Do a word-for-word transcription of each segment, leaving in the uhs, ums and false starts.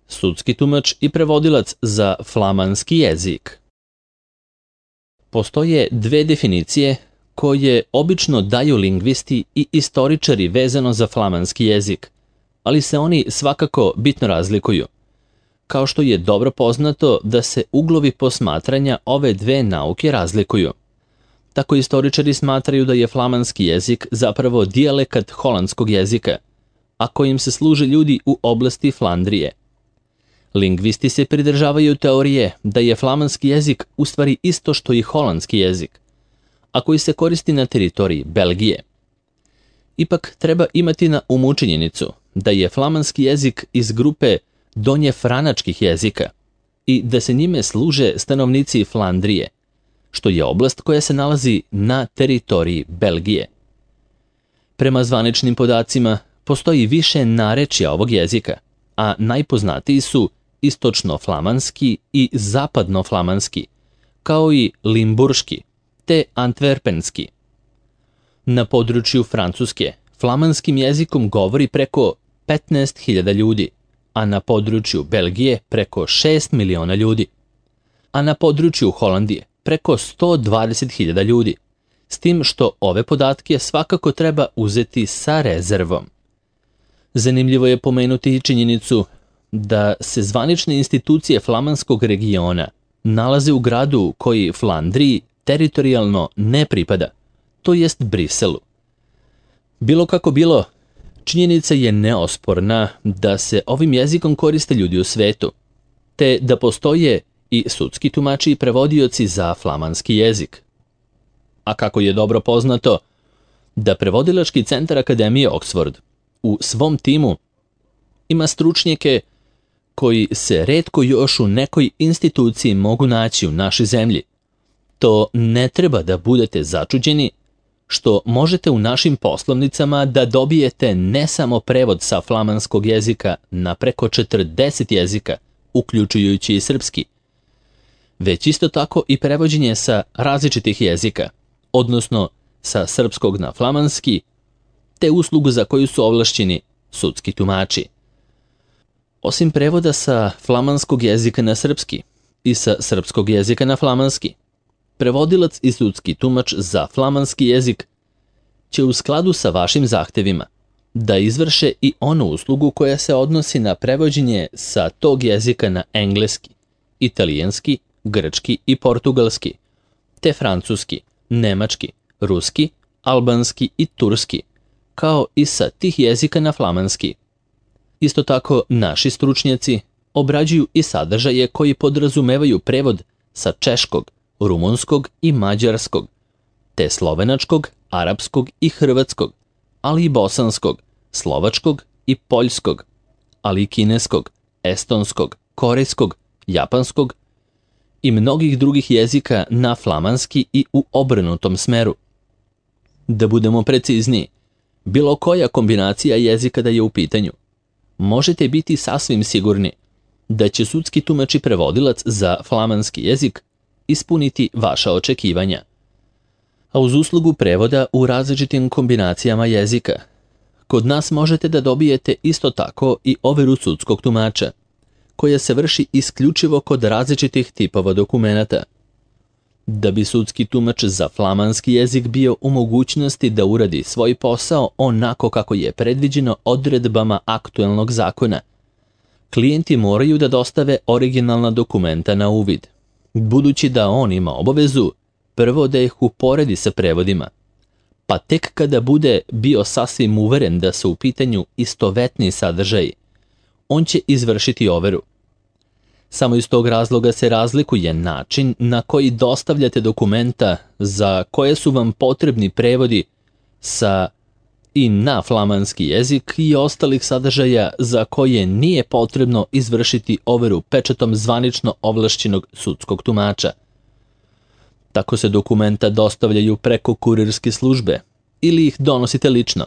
sudski tumač i prevodilac za flamanski jezik. Postoje dve definicije koje obično daju lingvisti i istoričari vezano za flamanski jezik, ali se oni svakako bitno razlikuju. Kao što je dobro poznato da se uglovi posmatranja ove dve nauke razlikuju. Tako istoričari smatraju da je flamanski jezik zapravo dijalekat holandskog jezika, a kojim se služe ljudi u oblasti Flandrije. Lingvisti se pridržavaju teorije da je flamanski jezik u stvari isto što i holandski jezik, a koji se koristi na teritoriji Belgije. Ipak treba imati na umu činjenicu da je flamanski jezik iz grupe donjefranačkih jezika i da se njime služe stanovnici Flandrije, što je oblast koja se nalazi na teritoriji Belgije. Prema zvaničnim podacima postoji više narečja ovog jezika, a najpoznatiji su istočno-flamanski i zapadno-flamanski, kao i limburški te antverpenski. Na području Francuske flamanskim jezikom govori preko petnaest hiljada ljudi, a na području Belgije preko šest miliona ljudi, a na području Holandije preko sto dvadeset hiljada ljudi, s tim što ove podatke svakako treba uzeti sa rezervom. Zanimljivo je pomenuti i činjenicu da se zvanične institucije flamanskog regiona nalaze u gradu koji Flandriji teritorijalno ne pripada, to jest Briselu. Bilo kako bilo, činjenica je neosporna da se ovim jezikom koriste ljudi u svetu, te da postoje i sudski tumači i prevodioci za flamanski jezik. A kako je dobro poznato, da prevodilački centar Akademije Oxford u svom timu ima stručnjake koji se retko još u nekoj instituciji mogu naći u našoj zemlji, to ne treba da budete začuđeni što možete u našim poslovnicama da dobijete ne samo prevod sa flamanskog jezika na preko četrdeset jezika, uključujući i srpski, već isto tako i prevođenje sa različitih jezika, odnosno sa srpskog na flamanski, te uslugu za koju su ovlašćeni sudski tumači. Osim prevoda sa flamanskog jezika na srpski i sa srpskog jezika na flamanski, prevodilac i sudski tumač za flamanski jezik će u skladu sa vašim zahtevima da izvrše i onu uslugu koja se odnosi na prevođenje sa tog jezika na engleski, italijanski, grčki i portugalski, te francuski, nemački, ruski, albanski i turski, kao i sa tih jezika na flamanski. Isto tako, naši stručnjaci obrađuju i sadržaje koji podrazumevaju prevod sa češkog, rumunskog i mađarskog, te slovenačkog, arapskog i hrvatskog, ali i bosanskog, slovačkog i poljskog, ali i kineskog, estonskog, korejskog, japanskog i mnogih drugih jezika na flamanski i u obrnutom smeru. Da budemo precizniji, bilo koja kombinacija jezika da je u pitanju, možete biti sasvim sigurni da će sudski tumač i prevodilac za flamanski jezik ispuniti vaša očekivanja. A uz uslugu prevoda u različitim kombinacijama jezika, kod nas možete da dobijete isto tako i overu sudskog tumača, koja se vrši isključivo kod različitih tipova dokumenata. Da bi sudski tumač za flamanski jezik bio u mogućnosti da uradi svoj posao onako kako je predviđeno odredbama aktuelnog zakona, klijenti moraju da dostave originalna dokumenta na uvid, budući da on ima obavezu prvo da ih uporedi sa prevodima, pa tek kada bude bio sasvim uveren da su u pitanju istovetni sadržaji, on će izvršiti overu. Samo iz tog razloga se razlikuje način na koji dostavljate dokumenta za koje su vam potrebni prevodi sa i na flamanski jezik i ostalih sadržaja za koje nije potrebno izvršiti overu pečatom zvanično ovlašćenog sudskog tumača. Tako se dokumenta dostavljaju preko kurirske službe ili ih donosite lično,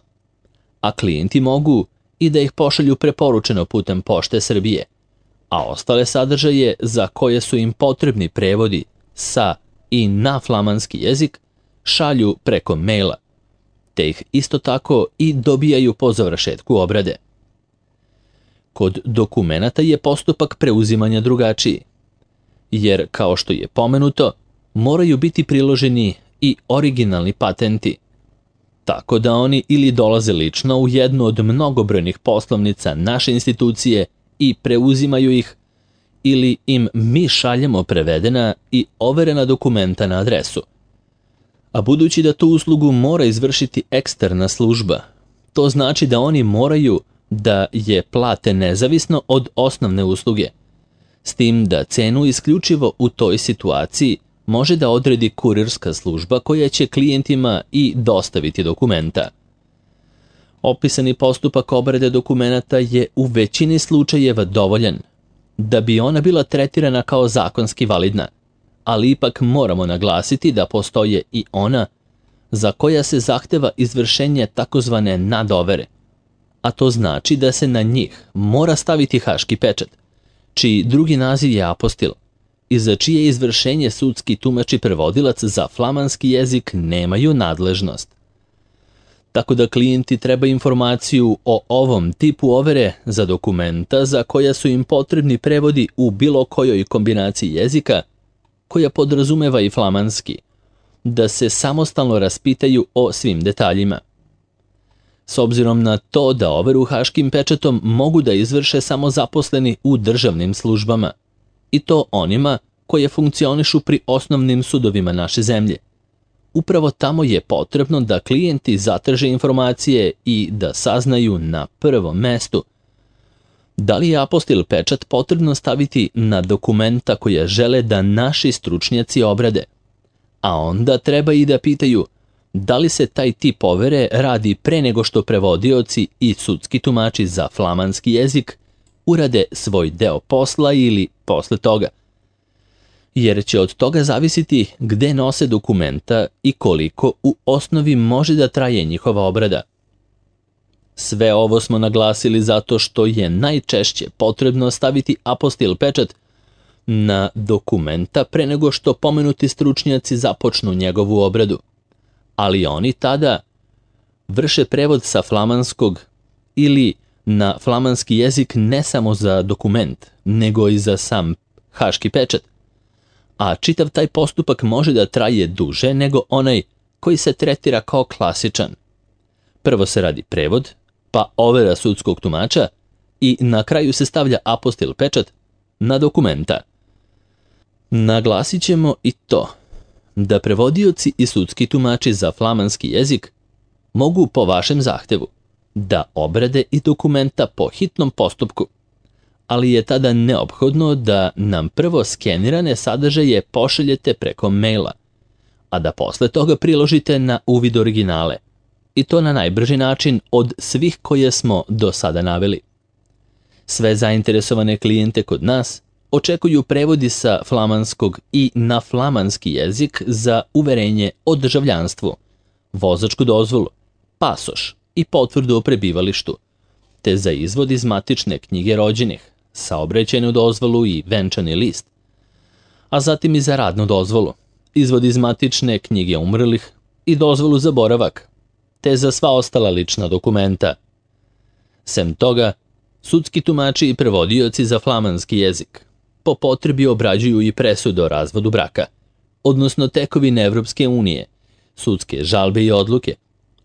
a klijenti mogu i da ih pošalju preporučeno putem Pošte Srbije, a ostale sadržaje za koje su im potrebni prevodi sa i na flamanski jezik šalju preko maila, te ih isto tako i dobijaju po završetku obrade. Kod dokumenata je postupak preuzimanja drugačiji, jer, kao što je pomenuto, moraju biti priloženi i originalni patenti, tako da oni ili dolaze lično u jednu od mnogobrojnih poslovnica naše institucije i preuzimaju ih, ili im mi šaljemo prevedena i overena dokumenta na adresu. A budući da tu uslugu mora izvršiti eksterna služba, to znači da oni moraju da je plate nezavisno od osnovne usluge, s tim da cenu isključivo u toj situaciji može da odredi kurirska služba koja će klijentima i dostaviti dokumenta. Opisani postupak obrade dokumenata je u većini slučajeva dovoljan da bi ona bila tretirana kao zakonski validna, ali ipak moramo naglasiti da postoje i ona za koja se zahteva izvršenje takozvane nadovere, a to znači da se na njih mora staviti haški pečat, čiji drugi naziv je apostil, i za čije izvršenje sudski tumač i prevodilac za flamanski jezik nemaju nadležnost. Tako da klijenti treba informaciju o ovom tipu overe za dokumenta za koja su im potrebni prevodi u bilo kojoj kombinaciji jezika, koja podrazumeva i flamanski, da se samostalno raspitaju o svim detaljima. S obzirom na to da overu haškim pečatom mogu da izvrše samo zaposleni u državnim službama, i to onima koje funkcionišu pri osnovnim sudovima naše zemlje. Upravo tamo je potrebno da klijenti zatraže informacije i da saznaju na prvom mestu da li je apostil pečat potrebno staviti na dokumenta koja žele da naši stručnjaci obrade, a onda treba i da pitaju da li se taj tip overe radi pre nego što prevodioci i sudski tumači za flamanski jezik urade svoj deo posla ili posle toga, jer će od toga zavisiti gde nose dokumenta i koliko u osnovi može da traje njihova obrada. Sve ovo smo naglasili zato što je najčešće potrebno staviti apostil pečat na dokumenta pre nego što pomenuti stručnjaci započnu njegovu obradu, ali oni tada vrše prevod sa flamanskog ili na flamanski jezik ne samo za dokument, nego i za sam haški pečat, a čitav taj postupak može da traje duže nego onaj koji se tretira kao klasičan. Prvo se radi prevod, pa overa sudskog tumača i na kraju se stavlja apostil pečat na dokumenta. Naglasit ćemo i to da prevodioci i sudski tumači za flamanski jezik mogu po vašem zahtevu da obrade i dokumenta po hitnom postupku, ali je tada neophodno da nam prvo skenirane sadržaje pošaljete preko maila, a da posle toga priložite na uvid originale, i to na najbrži način od svih koje smo do sada naveli. Sve zainteresovane klijente kod nas očekuju prevodi sa flamanskog i na flamanski jezik za uverenje o državljanstvu, vozačku dozvolu, pasoš i potvrdu o prebivalištu, te za izvod iz matične knjige rođenih, saobraćajnu dozvolu i venčani list, a zatim i za radnu dozvolu, izvod iz matične knjige umrlih i dozvolu za boravak, te za sva ostala lična dokumenta. Sem toga, sudski tumači i prevodioci za flamanski jezik po potrebi obrađuju i presude o razvodu braka, odnosno tekovine Evropske unije, sudske žalbe i odluke,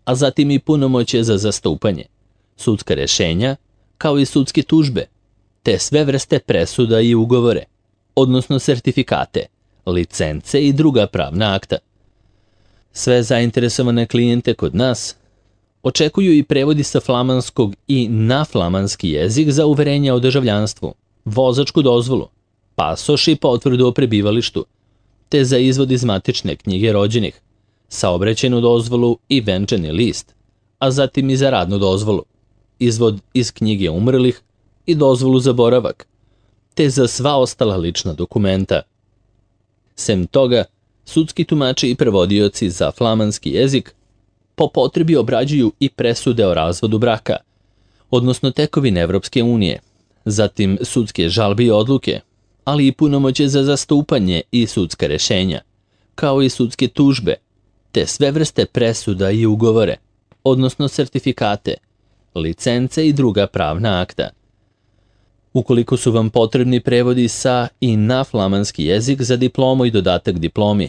a zatim i punomoćje za zastupanje, sudska rešenja, kao i sudske tužbe, te sve vrste presuda i ugovore, odnosno sertifikate, licence i druga pravna akta. Sve zainteresovane klijente kod nas očekuju i prevodi sa flamanskog i na flamanski jezik za uverenje o državljanstvu, vozačku dozvolu, pasoš i potvrdu o prebivalištu, te za izvod iz matične knjige rođenih, saobraćajnu dozvolu i venčani list, a zatim i za radnu dozvolu, izvod iz knjige umrlih i dozvolu za boravak, te za sva ostala lična dokumenta. Sem toga, sudski tumači i prevodioci za flamanski jezik po potrebi obrađuju i presude o razvodu braka, odnosno tekovine Evropske unije, zatim sudske žalbe i odluke, ali i punomoćje za zastupanje i sudska rešenja, kao i sudske tužbe, te sve vrste presuda i ugovore, odnosno sertifikate, licence i druga pravna akta. Ukoliko su vam potrebni prevodi sa i na flamanski jezik za diplomu i dodatak diplomi,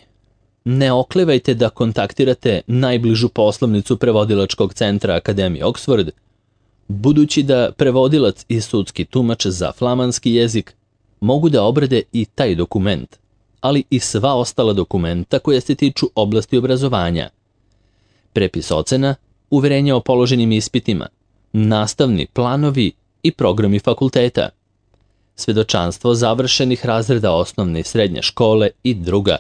ne oklevajte da kontaktirate najbližu poslovnicu prevodilačkog centra Akademije Oxford, budući da prevodilac i sudski tumač za flamanski jezik mogu da obrade i taj dokument, ali i sva ostala dokumenta koja se tiču oblasti obrazovanja. Prepis ocena, uverenje o položenim ispitima, nastavni planovi i programi fakulteta, svedočanstvo završenih razreda osnovne i srednje škole i druga,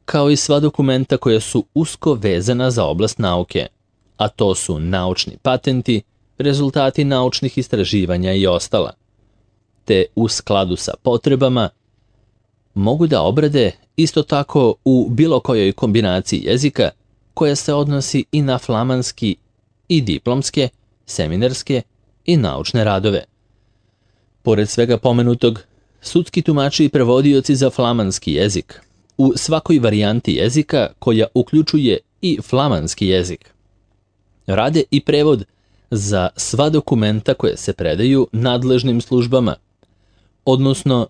kao i sva dokumenta koja su usko vezana za oblast nauke, a to su naučni patenti, rezultati naučnih istraživanja i ostala, te u skladu sa potrebama mogu da obrade isto tako u bilo kojoj kombinaciji jezika koja se odnosi i na flamanski i diplomske, seminarske i naučne radove. Pored svega pomenutog, sudski tumači i prevodioci za flamanski jezik u svakoj varijanti jezika koja uključuje i flamanski jezik rade i prevod za sva dokumenta koje se predaju nadležnim službama, odnosno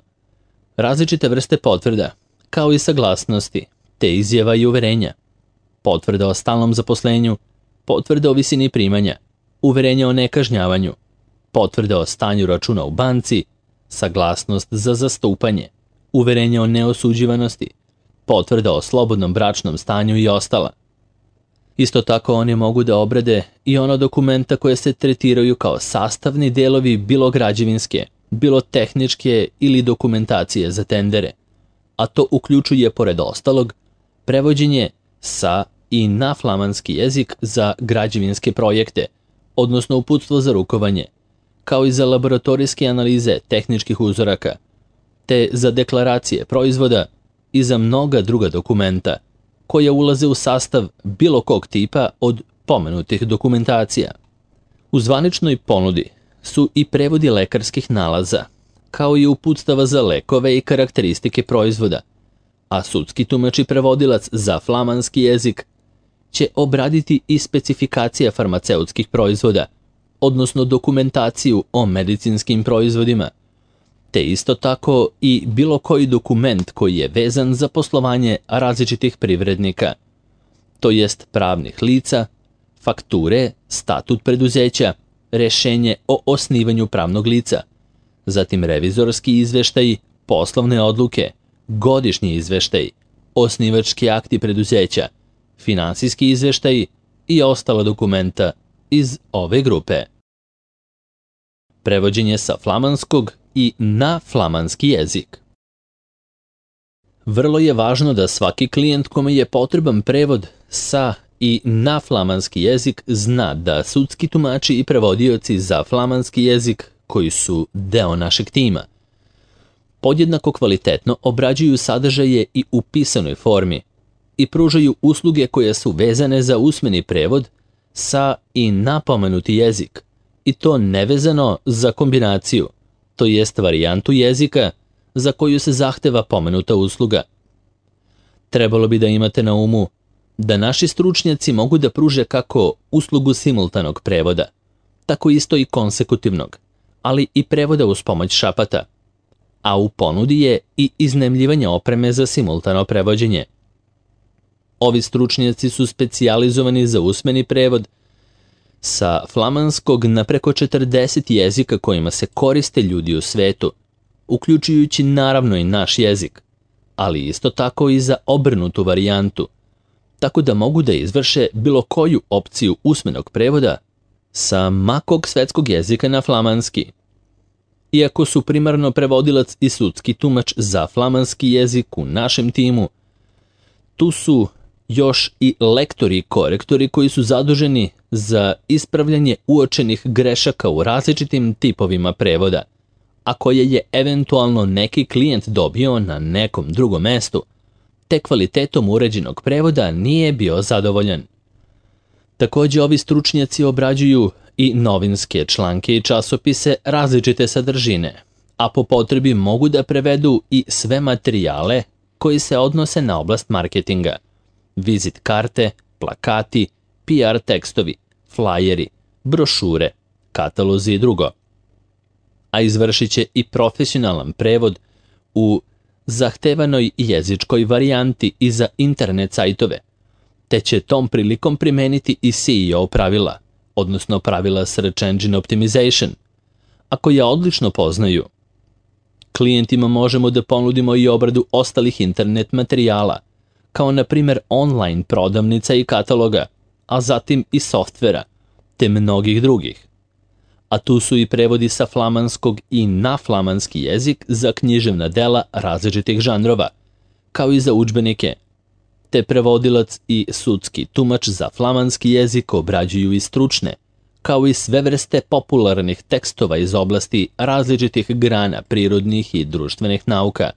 različite vrste potvrda, kao i saglasnosti, te izjava i uverenja, potvrda o stalnom zaposlenju, potvrda o visini primanja, uverenja o nekažnjavanju, potvrda o stanju računa u banci, saglasnost za zastupanje, uverenja o neosuđivanosti, potvrda o slobodnom bračnom stanju i ostala. Isto tako oni mogu da obrade i ona dokumenta koje se tretiraju kao sastavni delovi bilo građevinske, bilo tehničke ili dokumentacije za tendere, a to uključuje pored ostalog prevođenje sa i na flamanski jezik za građevinske projekte, odnosno uputstvo za rukovanje, kao i za laboratorijske analize tehničkih uzoraka, te za deklaracije proizvoda i za mnoga druga dokumenta koja ulaze u sastav bilo kog tipa od pomenutih dokumentacija. U zvaničnoj ponudi su i prevodi lekarskih nalaza, kao i uputstava za lekove i karakteristike proizvoda, a sudski tumač i prevodilac za flamanski jezik će obraditi i specifikacija farmaceutskih proizvoda, odnosno dokumentaciju o medicinskim proizvodima, te isto tako i bilo koji dokument koji je vezan za poslovanje različitih privrednika, to jest pravnih lica, fakture, statut preduzeća, rešenje o osnivanju pravnog lica, zatim revizorski izveštaji, poslovne odluke, godišnji izveštaji, osnivački akti preduzeća, finansijski izveštaji i ostala dokumenta iz ove grupe. Prevođenje sa flamanskog i na flamanski jezik. Vrlo je važno da svaki klijent kome je potreban prevod sa i na flamanski jezik zna da sudski tumači i prevodioci za flamanski jezik, koji su deo našeg tima, podjednako kvalitetno obrađuju sadržaje i u pisanoj formi i pružaju usluge koje su vezane za usmeni prevod sa i na pomenuti jezik, i to nevezano za kombinaciju, to jest varijantu jezika za koju se zahteva pomenuta usluga. Trebalo bi da imate na umu da naši stručnjaci mogu da pruže kako uslugu simultanog prevoda, tako isto i konsekutivnog, ali i prevoda uz pomoć šapata, a u ponudi je i iznajmljivanje opreme za simultano prevođenje. Ovi stručnjaci su specijalizovani za usmeni prevod sa flamanskog na preko četrdeset jezika kojima se koriste ljudi u svetu, uključujući naravno i naš jezik, ali isto tako i za obrnutu varijantu, tako da mogu da izvrše bilo koju opciju usmenog prevoda sa makog svetskog jezika na flamanski. Iako su primarno prevodilac i sudski tumač za flamanski jezik u našem timu, tu su još i lektori i korektori koji su zaduženi za ispravljanje uočenih grešaka u različitim tipovima prevoda, a koje je eventualno neki klijent dobio na nekom drugom mestu, te kvalitetom uređenog prevoda nije bio zadovoljan. Također ovi stručnjaci obrađuju i novinske članke i časopise različite sadržine, a po potrebi mogu da prevedu i sve materijale koji se odnose na oblast marketinga, vizit karte, plakati, P R tekstovi, flajeri, brošure, katalozi i drugo. a izvršit će i profesionalan prevod u zahtevanoj jezičkoj varijanti i za internet sajtove, te će tom prilikom primeniti i S E O pravila, odnosno pravila Search Engine Optimization, a koja odlično poznaju. Klijentima možemo da ponudimo i obradu ostalih internet materijala, kao na primjer online prodavnica i kataloga, a zatim i softvera, te mnogih drugih. A tu su i prevodi sa flamanskog i na flamanski jezik za književna dela različitih žanrova, kao i za udžbenike, te prevodilac i sudski tumač za flamanski jezik obrađuju i stručne, kao i sve vrste popularnih tekstova iz oblasti različitih grana prirodnih i društvenih nauka,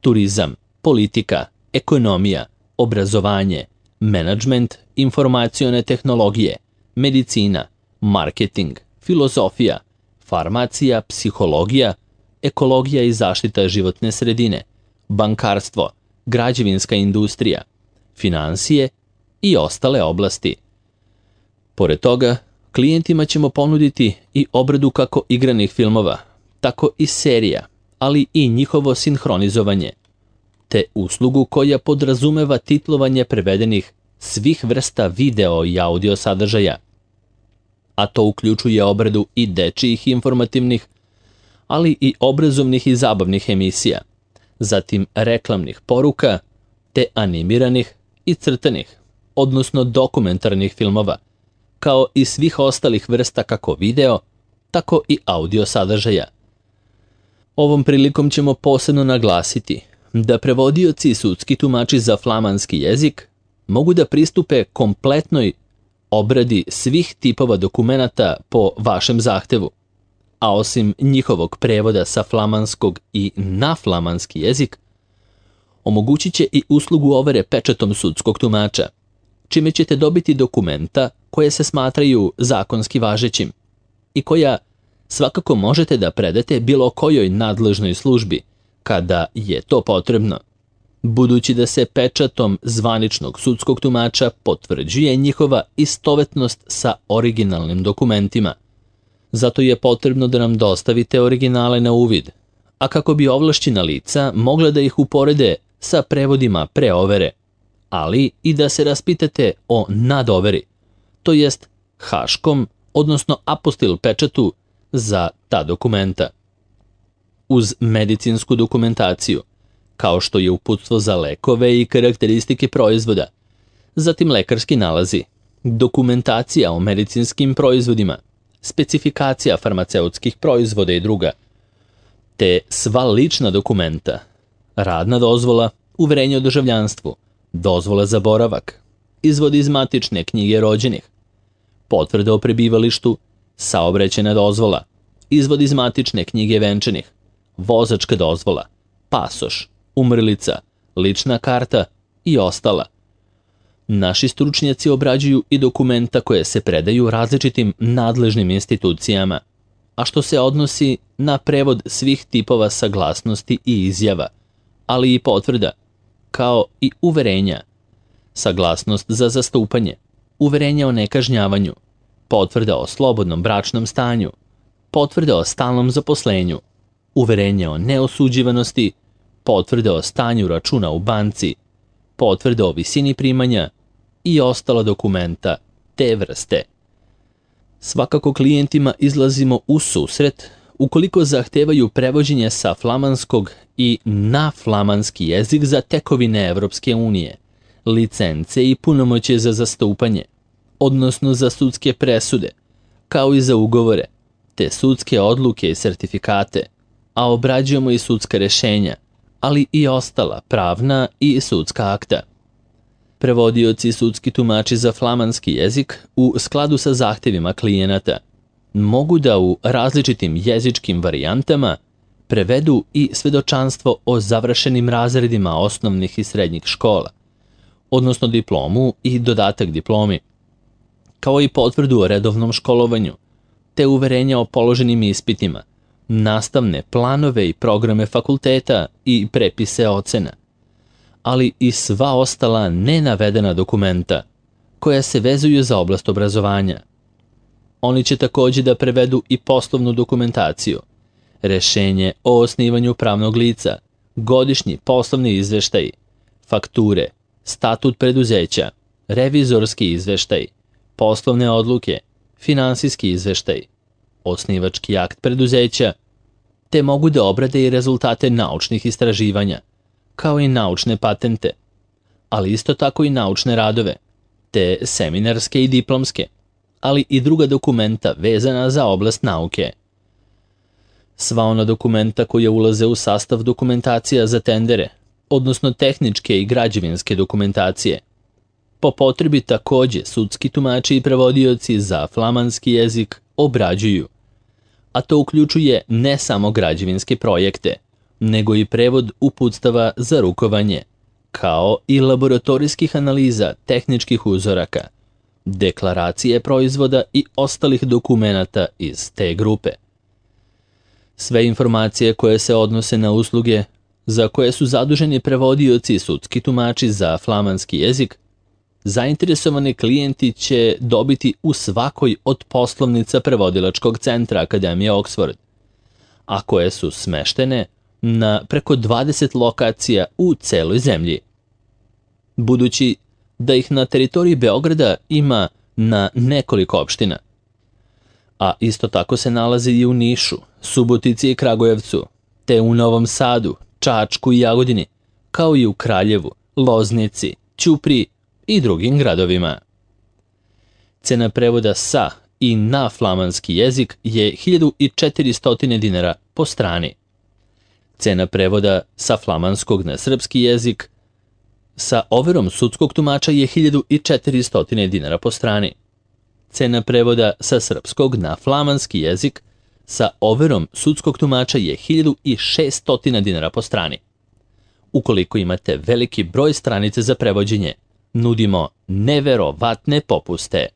turizam, politika, ekonomija, obrazovanje, menadžment, informacione tehnologije, medicina, marketing, filozofija, farmacija, psihologija, ekologija i zaštita životne sredine, bankarstvo, građevinska industrija, finansije i ostale oblasti. Pored toga, klijentima ćemo ponuditi i obradu kako igranih filmova, tako i serija, ali i njihovo sinhronizovanje, te uslugu koja podrazumeva titlovanje prevedenih svih vrsta video i audio sadržaja, a to uključuje obradu i dečijih informativnih, ali i obrazovnih i zabavnih emisija, zatim reklamnih poruka, te animiranih i crtanih, odnosno dokumentarnih filmova, kao i svih ostalih vrsta kako video, tako i audio sadržaja. Ovom prilikom ćemo posebno naglasiti da prevodioci i sudski tumači za flamanski jezik mogu da pristupe kompletnoj obradi svih tipova dokumenata po vašem zahtevu, a osim njihovog prevoda sa flamanskog i na flamanski jezik, omogućit će i uslugu overe pečatom sudskog tumača, čime ćete dobiti dokumenta koje se smatraju zakonski važećim i koja svakako možete da predate bilo kojoj nadležnoj službi kada je to potrebno, budući da se pečatom zvaničnog sudskog tumača potvrđuje njihova istovetnost sa originalnim dokumentima. Zato je potrebno da nam dostavite originale na uvid, a kako bi ovlašćena lica mogla da ih uporede sa prevodima pre overe, ali i da se raspitate o nadoveri, to jest haškom, odnosno apostil pečatu za ta dokumenta. Uz medicinsku dokumentaciju, kao što je uputstvo za lekove i karakteristike proizvoda, zatim lekarski nalazi, dokumentacija o medicinskim proizvodima, specifikacija farmaceutskih proizvoda i druga, te sva lična dokumenta, radna dozvola, uverenje o državljanstvu, dozvola za boravak, izvod iz matične knjige rođenih, potvrda o prebivalištu, saobraćajna dozvola, izvod iz matične knjige venčanih, vozačka dozvola, pasoš, umrlica, lična karta i ostala. Naši stručnjaci obrađuju i dokumenta koje se predaju različitim nadležnim institucijama, a što se odnosi na prevod svih tipova saglasnosti i izjava, ali i potvrda, kao i uverenja, saglasnost za zastupanje, uverenja o nekažnjavanju, potvrda o slobodnom bračnom stanju, potvrda o stalnom zaposlenju, uverenje o neosuđivanosti, potvrde o stanju računa u banci, potvrde o visini primanja i ostala dokumenta te vrste. Svakako klijentima izlazimo u susret ukoliko zahtevaju prevođenje sa flamanskog i na flamanski jezik za tekovine Evropske unije, licence i punomoćje za zastupanje, odnosno za sudske presude, kao i za ugovore, te sudske odluke i sertifikate, a obrađujemo i sudska rešenja, ali i ostala pravna i sudska akta. Prevodioci i sudski tumači za flamanski jezik u skladu sa zahtevima klijenata mogu da u različitim jezičkim varijantama prevedu i svedočanstvo o završenim razredima osnovnih i srednjih škola, odnosno diplomu i dodatak diplomi, kao i potvrdu o redovnom školovanju, te uverenja o položenim ispitima, nastavne planove i programe fakulteta i prepise ocena, ali i sva ostala nenavedena dokumenta koja se vezuju za oblast obrazovanja. Oni će također da prevedu i poslovnu dokumentaciju, rešenje o osnivanju pravnog lica, godišnji poslovni izveštaj, fakture, statut preduzeća, revizorski izveštaj, poslovne odluke, finansijski izveštaj, osnivački akt preduzeća, te mogu da obrade i rezultate naučnih istraživanja, kao i naučne patente, ali isto tako i naučne radove, te seminarske i diplomske, ali i druga dokumenta vezana za oblast nauke. Sva ona dokumenta koja ulaze u sastav dokumentacija za tendere, odnosno tehničke i građevinske dokumentacije. Po potrebi takođe sudski tumači i prevodioci za flamanski jezik obrađuju, a to uključuje ne samo građevinske projekte, nego i prevod uputstava za rukovanje, kao i laboratorijskih analiza tehničkih uzoraka, deklaracije proizvoda i ostalih dokumenata iz te grupe. Sve informacije koje se odnose na usluge za koje su zaduženi prevodioci i sudski tumači za flamanski jezik, zainteresovani klijenti će dobiti u svakoj od poslovnica prevodilačkog centra Akademije Oxford, a koje su smeštene na preko dvadeset lokacija u celoj zemlji. Budući da ih na teritoriji Beograda ima na nekoliko opština, a isto tako se nalazi i u Nišu, Subotici i Kragujevcu, te u Novom Sadu, Čačku i Jagodini, kao i u Kraljevu, Loznici, Ćupriji i drugim gradovima. Cena prevoda sa i na flamanski jezik je hiljadu četiristo dinara po strani. Cena prevoda sa flamanskog na srpski jezik sa overom sudskog tumača je hiljadu četiristo dinara po strani. Cena prevoda sa srpskog na flamanski jezik sa overom sudskog tumača je hiljadu šesto dinara po strani. Ukoliko imate veliki broj stranice za prevođenje, nudimo neverovatne popuste.